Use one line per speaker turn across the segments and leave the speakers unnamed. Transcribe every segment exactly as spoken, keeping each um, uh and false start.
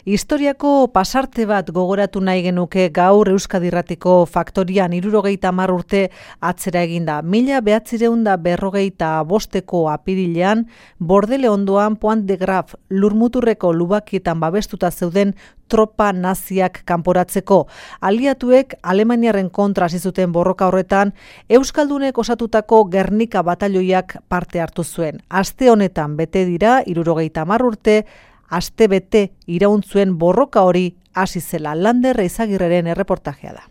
Historiako pasarte bat gogoratu nahi genuke gaur Euskadi Irratiko Faktorian hirurogeita hamar urte atzera eginda. Mila behatzireun da berrogeita bosteko apirilean, Bordele ondoan Pointe de Graf lurmuturreko lubakietan babestuta zeuden tropa naziak kanporatzeko. Aliatuek Alemaniaren kontra hasi zuten borroka horretan, Euskaldunek osatutako Gernika batalioiak parte hartu zuen. Aste honetan bete dira hirurogeita hamar urte, aste bete iraun zuen borroka hori hasi zela. Lander Eizagirreren erreportajea da.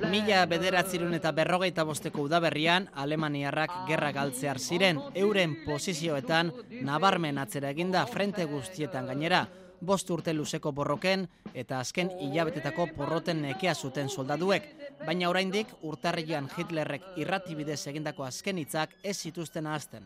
Mila bederatzirun eta berrogeita bosteko udaberrian, Alemaniarrak gerra galtzear ziren, euren posizioetan nabarmen atzera eginda frente guztietan gainera, bost urte luzeko borroken eta azken hilabetetako porroten nekea zuten soldaduek, baina oraindik urtarrilean Hitlerrek irratibidez egindako azken hitzak ez zituzten ahazten.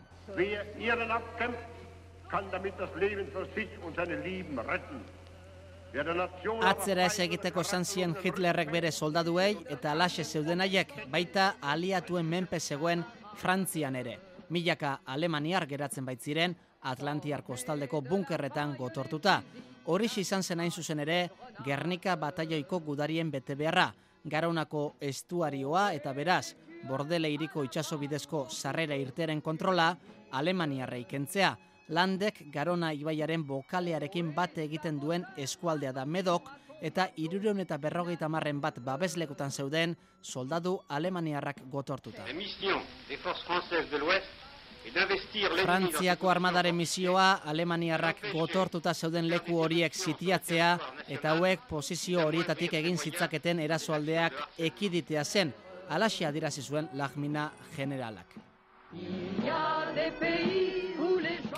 Atzera ez egiteko esan zien Hitlerrek bere soldaduei eta alaxe zeuden haiek, baita aliatuen menpe zegoen Frantzian ere. Milaka alemaniar geratzen baitziren Atlantiar kostaldeko bunkerretan gotortuta. Horixe izan zen hain zuzen ere Gernika bataioiko gudarien betebeharra, Garonako estuarioa eta beraz, Bordele hiriko itsaso bidezko sarrera irtearen kontrola Alemaniarrei kentzea. Landek Garona ibaiaren bokalearekin bat egiten duen eskualdea da Medok eta hirurehun eta berrogeita hamarren bat babeslekutan zeuden soldadu alemaniarrak gotortuta. Frantziako armadaren misioa Alemaniarrak gotortuta zeuden leku horiek sitiatzea eta hauek posizio horietatik egin zitzaketen erasoaldeak ekiditea zen, halaxe adierazi zuen Lagmina generalak.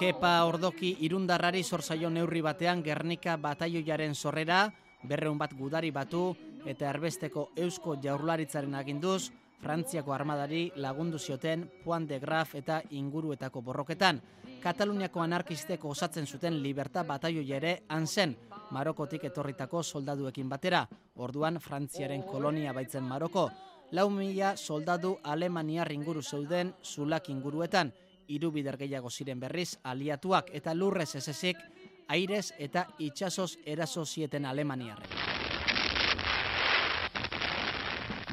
Kepa Ordoki irundarrari zor zaio neurri batean Gernika bataioiaren sorrera, berrehun bat gudari batu eta erbesteko Eusko Jaurlaritzaren aginduz, Frantziako armadari lagundu zioten Pointe de Graf eta inguruetako borroketan. Kataluniako anarkistek osatzen zuten Libertad bataioia ere han zen, Marokotik etorritako soldaduekin batera, orduan Frantziaren kolonia baitzen Maroko. Lau mila soldadu alemaniar inguru zeuden Zulak inguruetan, hiru bider gehiago ziren berriz aliatuak eta lurrez ez ezik, airez eta itsasoz eraso zieten alemaniarrek.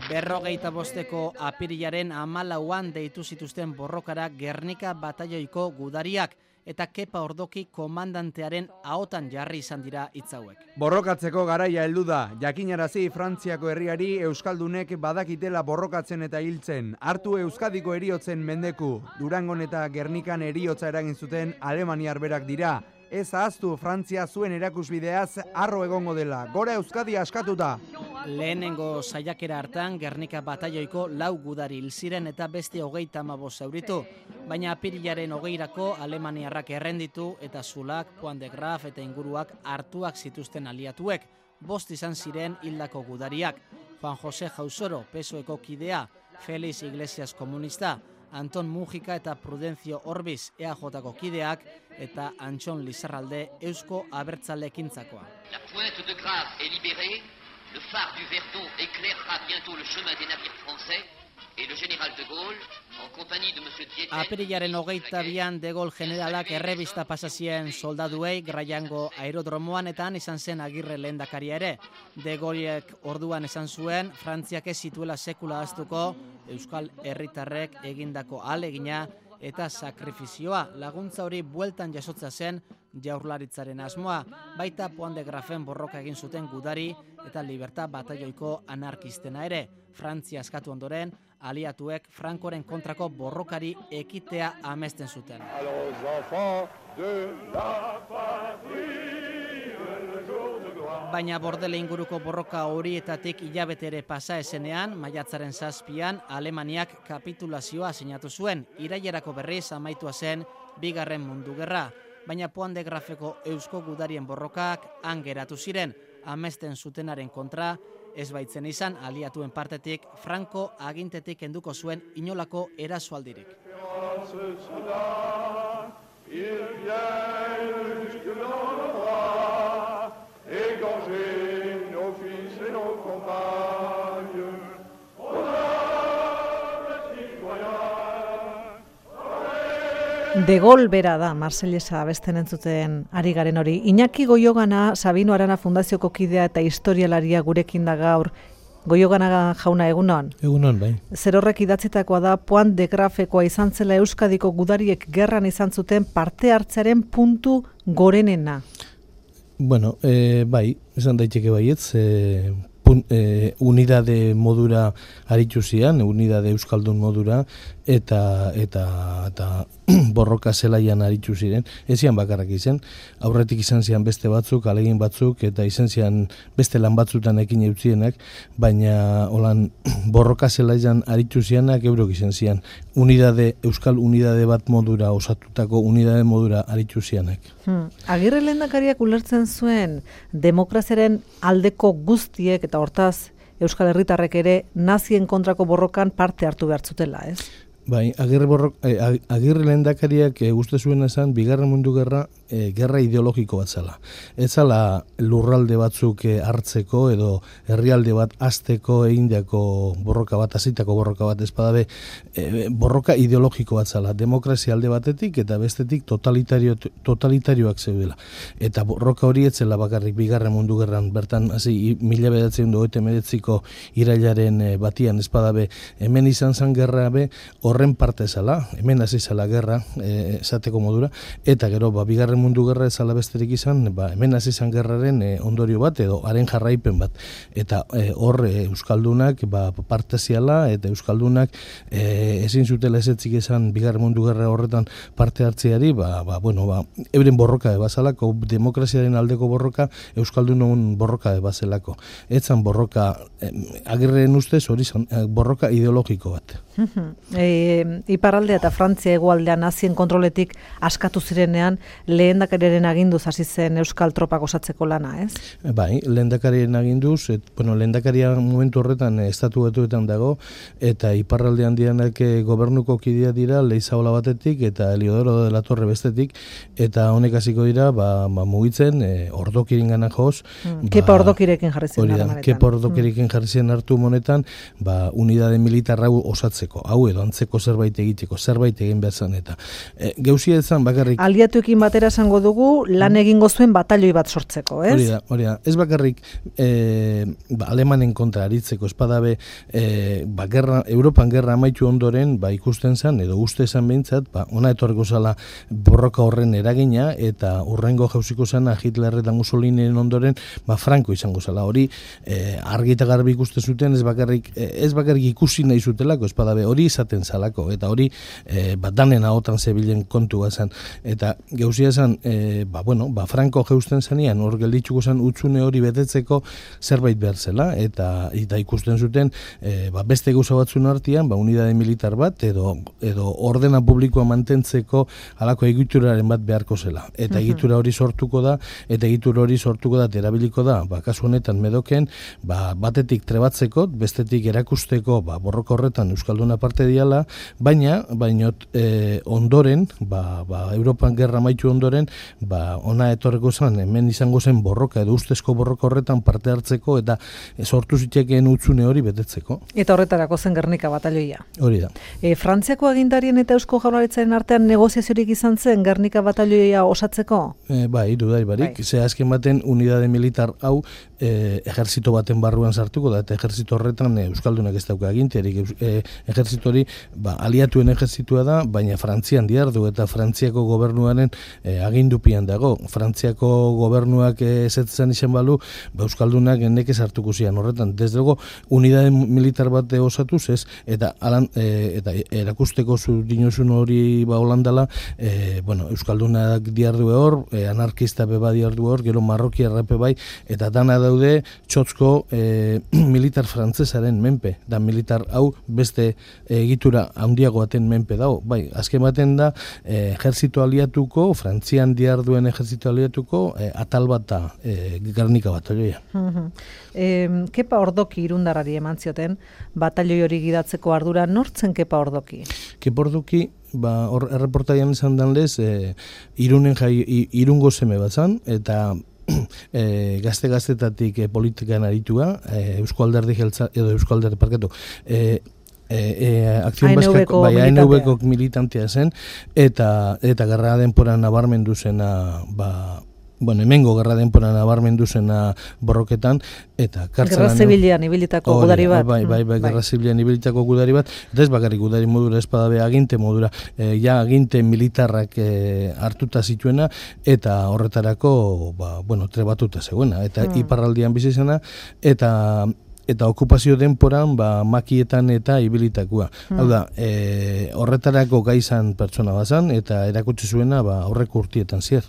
Berrogeita bosteko apirilaren hamalauan deitu zituzten borrokara Gernika bataioiko gudariak eta Kepa Ordoki komandantearen ahotan jarri izan dira hitz hauek.
Borrokatzeko garaia heldu da. Jakinarazi Frantziako herriari euskaldunek badakitela borrokatzen eta hiltzen. Hartu Euskadiko heriotzen mendeku. Durangon eta Gernikan heriotza eragin zuten alemaniar berak dira. Ez ahaztu Frantzia zuen erakusbideaz harro egongo dela. Gora Euskadi askatuta!
Lehenengo saiakera hartan Gernika bataioiko lau gudari hil ziren eta beste hogeita hamabost zauritu, baina apirilaren hogeirako alemaniarrak errenditu eta Zulak, Pointe de Graf eta inguruak hartuak zituzten aliatuek, bost izan ziren hildako gudariak, Juan José Jausoro, P S O Eko kidea, Félix Iglesias komunista, Anton Mujika eta Prudencio Orbiz E A Jko kideak eta Antxon Lizarralde Eusko Abertzalekintzakoa.
La Pointe de Graf est libérée, le phare du Verdon éclairera bientôt le chemin des navires français et le général de Gaulle, en compagnie de monsieur Dieter...
Apirilaren hogeita bian de Gaulle generalak errebista pasazien soldaduei Graiango aerodromoan eta han izan zen Agirre lehendakaria ere. De Gaulleek orduan esan zuen, Frantziak ez zituela sekula ahaztuko Euskal herritarrek egindako ahalegina eta sakrifizioa. Laguntza hori bueltan jasotza zen Jaurlaritzaren asmoa, baita Pointe de Grafen borroka egin zuten gudari eta Libertad bataioiko anarkistena ere. Frantzia askatu ondoren, aliatuek Frankoren kontrako borrokari ekitea amesten zuten. Baina Bordele inguruko borroka horietatik hilabete ere pasa esenean, maiatzaren zazpian, Alemaniak kapitulazioa sinatu zuen, irailerako berriz amaitua zen bigarren mundu gerra. Baina Pointe de Grafeko eusko gudarien borrokak han geratu ziren, amesten zutenaren kontra, ez baitzen izan aliatuen partetik Franco agintetik kenduko zuen inolako erasoaldirik.
De Gol bera da, Marsellesa abesten entzuten ari garen hori. Iñaki Goiogana, Sabino Arana Fundazioko kidea eta historialaria gurekin da gaur. Goiogana jauna, egunon?
Egunon, bai.
Zer horrek idatzitakoa da, Point de Grafekoa izan zela Euskadiko gudariek gerran izan zuten parte hartzearen puntu gorenena.
Bueno, e, bai, esan daiteke baietz, e, pun, e, unidade modura aritu zian, unidade euskaldun modura, eta eta eta borroka zelaian aritu ziren. Ezian bakarrak izan, aurretik izan zian beste batzuk, alegin batzuk, eta izan zian beste lan batzutan ekin eutzienak, baina holan borroka zelaian aritu zianak eurok izan zian. Unidade, euskal unidade bat modura, osatutako unidade modura aritu zianak.
Hmm. Agirre lehendakariak ulertzen zuen demokraziaren aldeko guztiek, eta hortaz Euskal Herritarrek ere nazien kontrako borrokan parte hartu behar zutela, ez?
Bai, Agirre, borrok, eh, Agirre lehendakariak eh, uste zuen esan, bigarren mundu gerra, eh, gerra ideologiko bat zela. Ez zala lurralde batzuk eh, hartzeko edo herrialde bat azteko egindeako borroka bat, azitako borroka bat ezpadabe, eh, borroka ideologiko bat zela. Demokrazia alde batetik eta bestetik totalitario, totalitarioak zeudela. Eta borroka hori etzela bakarrik bigarren mundu gerran, bertan, hasi mila bederatziehun eta hogeita hemeretziko irailaren eh, batian ezpadabe, hemen izan zan gerra be, horren parte zala, hemen hasi zala gerra, e, esateko modura, eta gero, ba, bigarren mundu gerra ezala besterik izan, ba, hemen hasi zan gerraren e, ondorio bat, edo haren jarraipen bat. Eta e, hor e, Euskaldunak ba, parte ziala, eta Euskaldunak e, ezin zutela ezetzik izan bigarren mundu gerra horretan parte hartzeari, ba, ba, bueno, ba, euren borroka ebazalako, demokraziaren aldeko borroka, Euskaldunon borroka ebazelako. Etzan borroka, e, Agirren ustez, hori zan, borroka ideologiko bat.
E, Iparraldea eta Frantzia hegoaldean nazien kontroletik askatu zirenean lehendakariaren aginduz hasi zen euskal tropak osatzeko lana, ez?
Bai, lehendakariaren aginduz, et, bueno, lehendakaria momentu horretan estatu batuetan dago, eta iparraldean dianak gobernuko kidea dira Leizaola batetik eta Eliodoro de la Torre bestetik, eta honek hasiko dira ba, ba, mugitzen e, ordokiren gana joz.
Mm. Ba, Kepa ordokirekin jarri zen harremanetan.
Kepa ordokirekin mm. jarri zen hartu monetan, ba, unidade militar hau osatzeko, hau edo antzeko zerbait egiteko, zerbait egin behar zan, eta e, gausia ezan bakarrik...
Aliatuekin batera esango dugu, lan egingo zuen batalioi bat sortzeko, ez?
Hori da, hori da. Ez bakarrik e, ba, Alemanen kontra aritzeko, espadabe, e, ba, gerra, Europan gerra amaitu ondoren, ba, ikusten zan, edo uste zan behintzat, ba, ona etorreko zala borroka horren eragina, eta urrengo jauziko zana Hitler eta Mussolinen ondoren, ba, Franco izango zala. Hori, e, argi eta garbi ikusten zuten, ez bakarrik, ez bakarrik ikusi nahi zutelako, espadabe, hori izaten zalako, eta hori e, ba, danen ahotan zebilen kontu zen, eta gauzia zen, e, ba, bueno, ba, Franco jeusten zanian, hor gelditzuko zen utzune hori betetzeko zerbait behar zela, eta, eta ikusten zuten, e, ba, beste gauza batzun artean, ba, unidade militar bat, edo, edo ordena publikoa mantentzeko halako egituraren bat beharko zela, eta egitura hori sortuko da, eta egitura hori sortuko da, erabiliko da, ba, kasu honetan medoken, ba, batetik trebatzeko, bestetik erakusteko, ba, borroka horretan Euskalduna parte diala, baina, baina e, ondoren, ba, ba, Europan gerra maitu ondoren, ba, ona etorreko zen, hemen izango zen borroka, edo ustezko borroka horretan parte hartzeko, eta sortu zitekeen utzune hori betetzeko.
Eta horretarako zen Gernika batalioia.
Hori da.
E, Frantziako agintarien eta Eusko Jaurlaritzaren artean negoziaziorik izan zen Gernika batalioia osatzeko? E,
bai, dudai barik. Bai. Ze azken baten unidade militar hau e, ejerzito baten barruan sartuko da, eta ejerzito horretan e, Euskaldunak ez dauka aginterik. E, ejerzito hori, ba, aliatuen ejerzitua da, baina Frantzian diardu, eta Frantziako gobernuaren e, agindupian dago. Frantziako gobernuak ezetzen izan balu, ba, Euskaldunak nekez hartuko zian horretan. Desde luego, unidade militar bat osatuz ez, eta alan, e, eta erakusteko zu dinozun hori ba Holandala, e, bueno, Euskaldunak diardu hor, e, anarkista beba diardu hor, gero Marroki errape bai, eta dana daude txotzko e, militar frantzesaren menpe, da militar hau beste egitura handiago baten menpe dago. Bai, azken baten da, e, ejerzito aliatuko, Frantzian diarduen ejerzito aliatuko, e, atal bat da, e, Gernika batalioia.
E, Kepa Ordoki irundarrari eman zioten, batalioi hori gidatzeko ardura nortzen Kepa Ordoki? Kepa
Ordoki, ba, hor erreportaian izan dan lez, e, irunen jai, irungo seme bat zan, eta e, gazte-gaztetatik e, politikan aritua, e, Eusko Alderdi Jeltza, edo Eusko Alderdi parketu, e, E, e, akzion baskako, bai, A N V-ko militantea zen, eta eta gerra denporan nabarmendu zena, ba, bueno, hemengo gerra denporan nabarmendu zena borroketan, eta kartzelan...
Gerra zibilean ibilitako gudari bat.
Bai, bai, bai, gerra zibilean ibilitako gudari bat, eta ez bakarrik gudari modura, ez badabe aginte modura, e, ja aginte militarrak e, hartuta zituena, eta horretarako, ba, bueno, trebatuta zegoena, eta mm. iparraldian bizi zena, eta... eta okupazio denporan ba, makietan eta ibilitakoa. Hmm. Hau da, e, horretarako gaizan pertsona bazan, eta erakutsi zuena ba, aurreko urtietan zier.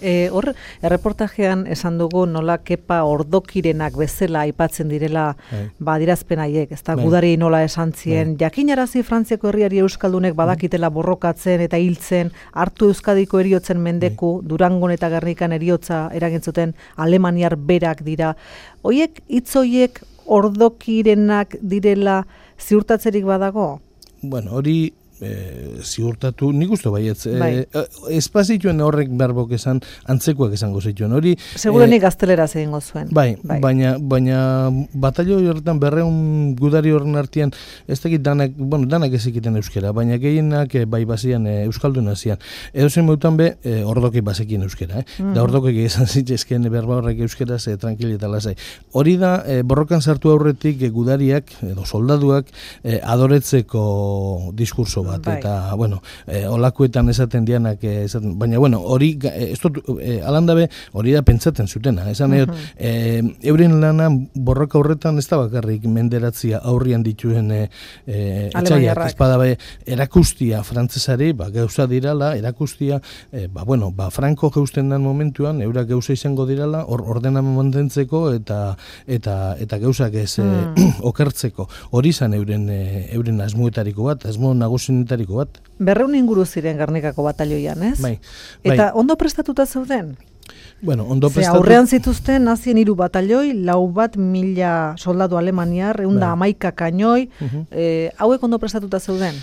E, hor, erreportajean esan dugu nola Kepa Ordokirenak bezala aipatzen direla ba, dirazpen haiek, ez da, gudari nola esan zien, jakinarazi Frantziako herriari euskaldunek badakitela borrokatzen eta hiltzen, hartu Euskadiko eriotzen mendeku, Durangon eta Gernikan eriotza eragintzuten Alemaniar berak dira. Hoiek, hitz hoiek Ordokirenak direla ziurtatzerik badago?
Bueno, hori e, ziurtatu, nik uste baietz, bai. e, espazituen horrek berbok esan, antzekoak esango zituen. Hori,
segurenik e, gazteleraz egingo zuen.
Bai, bai. baina, baina batalio horretan berreun gudari horren artean, ez dakit danak, bueno, danak ezikiten euskera, baina gehienak e, bai bazian e, euskaldun hazian. Edo zen meutan be, e, ordoki bazekien euskera, eh? Mm-hmm. Da ordokik esan zitzezken berba horrek euskeraz e, tranquili eta lasai. Hori da, e, borrokan sartu aurretik e, gudariak, edo soldaduak, e, adoretzeko diskurso bat, bai. Eta, bueno, e, olakuetan esaten dianak, e, esaten, baina, bueno, hori, e, e, alandabe, hori da pentsatzen zutena, esan uh-huh. e, euren lana borroka horretan ez da bakarrik menderatzia aurrian dituen e, e, etxaiak, ez badabe, erakustia frantzesari, ba, gauza dirala, erakustia, e, ba, bueno, ba, Franco geusten dan momentuan, eurak gauza izango dirala, or, ordena mantentzeko eta eta eta gauzak ez mm. e, okertzeko. Hori izan euren, e, euren asmoetariko bat, asmo nagusin bat.
Berreun inguru ziren Gernikako batalioian, ez?
Bai, bai.
Eta ondo prestatuta zeuden?
Bueno, ondo
Ze
prestatu...
aurrean zituzten nazien hiru batalioi, lau bat mila soldadu alemaniar, eunda bai. Amaika kainoi, uh-huh. e, hauek ondo prestatuta zeuden?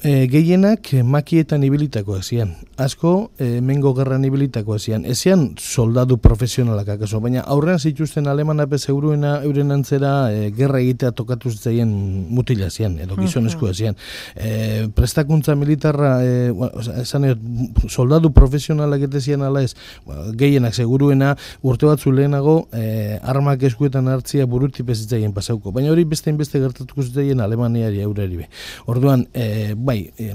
E, gehienak makietan ibilitakoak zian. Asko, e, mengo gerran ibilitakoak zian. Ezian soldadu profesionalak akaso, baina aurrean zituzten alemanape seguruena euren antzera e, gerra egitea tokatu zitzaien mutila zian, edo gizonezkoa zian. E, prestakuntza militarra, e, esan edo, soldadu profesionalak eta zian ala ez, gehienak seguruena urte batzu lehenago e, armak eskuetan hartzia burutip ez zitzaien pasauko. Baina hori beste inbeste gertatuko zitzaien Alemaniari aurreri be. Orduan, e, bai, eh,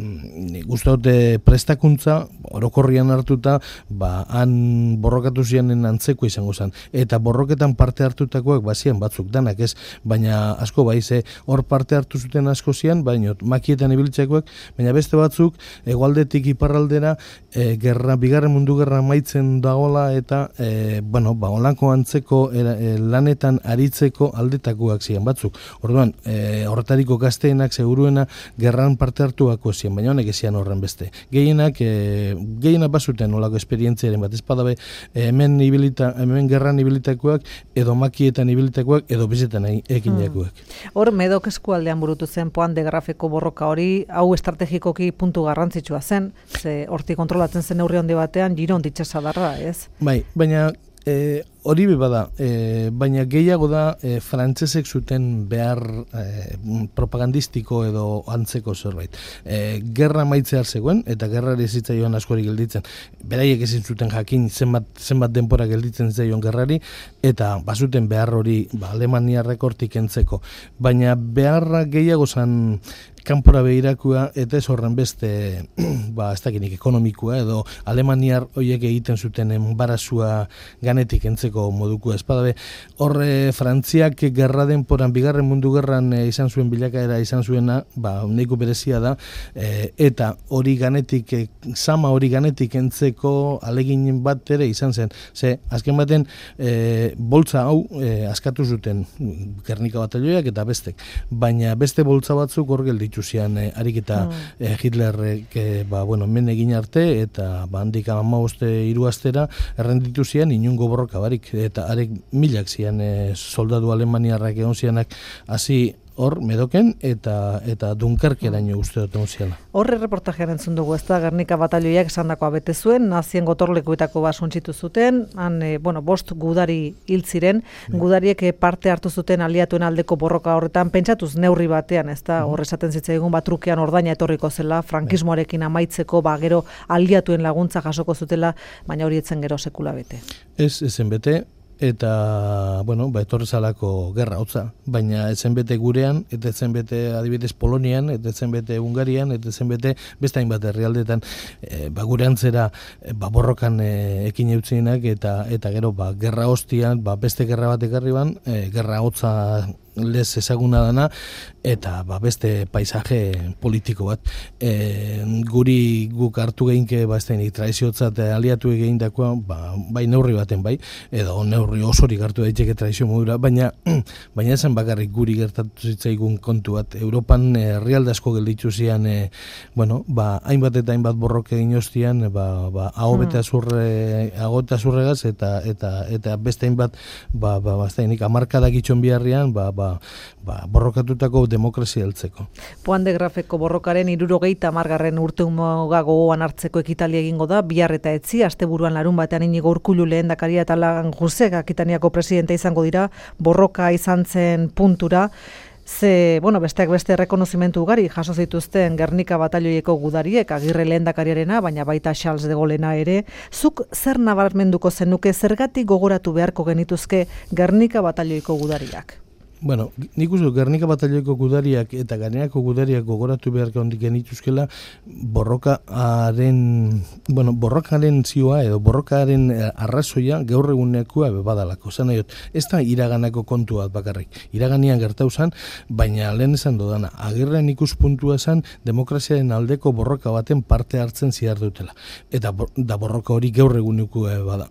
gustaute prestakuntza orokorrian hartuta, ba han borrokatu zianen antzeko izango zen. Eta borroketan parte hartutakoak bazian batzuk danak, ez, baina asko bai ze hor parte hartu zuten asko zian, baina makietan ibiltzekoak, baina beste batzuk hegoaldetik iparraldera e, gerra, bigarren mundu gerra maitzen dagola eta e, bueno, ba holanko antzeko era, e, lanetan aritzeko aldetakoak zian batzuk. Orduan, e, horretariko gazteenak seguruena gerran parte hartuako zian, baina honek ezian horren beste. Gehienak, e, gehienak bazuten olako esperientziaren bat, ez badabe hemen, ibilita, hemen gerran ibilitakoak, edo makietan ibilitakoak, edo bizetan ekinekoak.
Hmm. Hor, Medok eskualdean burutu zen Poan de Grafeko borroka hori, hau estrategikoki puntu garrantzitsua zen, ze hortik kontrolatzen zen neurri handi batean, Giron ditxasadarra, ez?
Bai, baina E, hori bada, e, baina gehiago da e, frantsesek zuten behar e, propagandistiko edo antzeko zerbait. E, gerra maitzear zegoen, eta gerrari zitzaioan askori gelditzen. Beraiek ezin zuten jakin zenbat, zenbat denpora gelditzen zaion gerrari, eta bazuten behar hori ba, Alemaniarrek hortik entzeko. Baina beharra gehiago zan kanpora behirakua, eta ez horren beste, ba, ez dakinik ekonomikoa, edo Alemaniar horiek egiten zuten enbarazua ganetik entzeko moduko espadabe. Horre, Frantziak gerra denporan, bigarren mundu gerran e, izan zuen bilakaera izan zuena, ba, neiko berezia da, e, eta hori ganetik, e, sama hori ganetik entzeko alegin bat ere izan zen. Ze, azken baten, e, boltza hau e, askatu zuten Gernika batalioiak eta bestek, baina beste boltza batzuk hor gelditu zian eh, ariketa mm. eh, Hitlerrek eh, ba, bueno, men egin arte eta ba, handik hamaboste hiru astera errenditu zian inungo borroka barik eta arek milak zian eh, soldadu alemaniarrak egon zianak hasi hor Medoken eta eta Dunkerkeraino uste dut onziala.
Horre reportajean entzun dugu, ez da, Gernika batalioiak esandakoa bete zuen, nazien gotorlekuetako bat suntsitu zuten, han, e, bueno, bost gudari hil ziren, gudariek parte hartu zuten aliatuen aldeko borroka horretan, pentsatuz neurri batean, ez da, horre esaten zitzaigun bat trukean ordaina etorriko zela, frankismoarekin amaitzeko, ba, gero aliatuen laguntza jasoko zutela, baina hori etzen gero sekula bete.
Ez, ezen bete, eta, bueno, ba, etorrezalako gerra hotza, baina etzen bete gurean, eta etzen bete adibidez Polonian, eta etzen bete Hungarian, eta etzen bete beste hainbat herrialdetan, e, ba, gure antzera, e, ba, borrokan e, ekin eutzienak, eta eta gero, ba, gerra hostian, ba, beste gerra bat ekarri ban, e, gerra hotza lez ezaguna dana, eta ba, beste paisaje politiko bat. E, guri guk hartu geinke, ba, ez da, traiziotzat aliatu egin dakoa, ba, bai neurri baten bai, edo neurri osorik hartu daiteke traizio modura, baina baina esan bakarrik guri gertatu zitzaigun kontu bat. Europan herrialde asko gelditu zian, e, bueno, ba, hainbat eta hainbat borroke egin ostian, ba, ba, aho bete azurre, aho eta azurregaz, eta, eta, eta beste hainbat, ba, ba, ba, ez da, amarkadak itxon biharrian, ba, ba, Ba, borrokatutako demokrazia heltzeko.
Poan de Grafeko borrokaren hirurogeita hamargarren urtemuga gogoan hartzeko ekitaldia egingo da, bihar eta etzi, asteburuan larun batean Inigo Urkullu lehendakaria eta Lan Josek Akitaniako presidente izango dira, borroka izan zen puntura, ze, bueno, besteak beste errekonozimentu ugari jaso zituzten Gernika batalioieko gudariek, Agirre lehendakariarena, baina baita Charles de Gaulena ere. Zuk zer nabarmenduko zenuke, zergatik gogoratu beharko genituzke Gernika batalioiko gudariak?
Bueno, nik uste Gernika batalioiko gudariak eta gainerako gudariak gogoratu beharko hondik genituzkela borrokaren, bueno, borrokaren zioa edo borrokaren arrazoia gaur egunekoa badalako. Zan nahi, ez da iraganako kontu bat bakarrik. Iraganian gertau zan, baina lehen esan dodana, Agirren ikuspuntua zan demokraziaren aldeko borroka baten parte hartzen zihar dutela. Eta da borroka hori gaur egunekoa bada.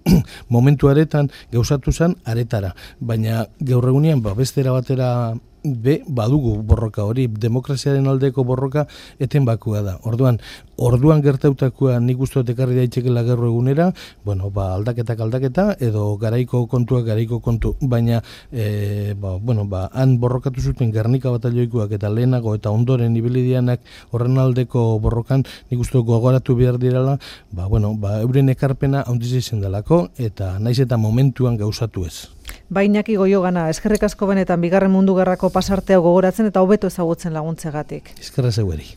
Momentu aretan gauzatu zan aretara, baina gaur egunean ba, bestera batera be, badugu borroka hori, demokraziaren aldeko borroka eten bakua da. Orduan, orduan gertautakoa nik uste dut ekarri daitekela gaur egunera, bueno, ba, aldaketak aldaketa, edo garaiko kontuak garaiko kontu, baina, e, ba, bueno, ba, han borrokatu zuten Gernika batalioikoak eta lehenago eta ondoren ibilidianak horren aldeko borrokan, nik uste dut gogoratu behar direla, ba, bueno, ba, euren ekarpena handiz izan delako, eta naiz eta momentuan gauzatu ez.
Bainaki Goiogana, eskerrik asko benetan bigarren mundu gerrako pasartea gogoratzen eta hobeto ezagutzen laguntzegatik.
Eskerra zeueri.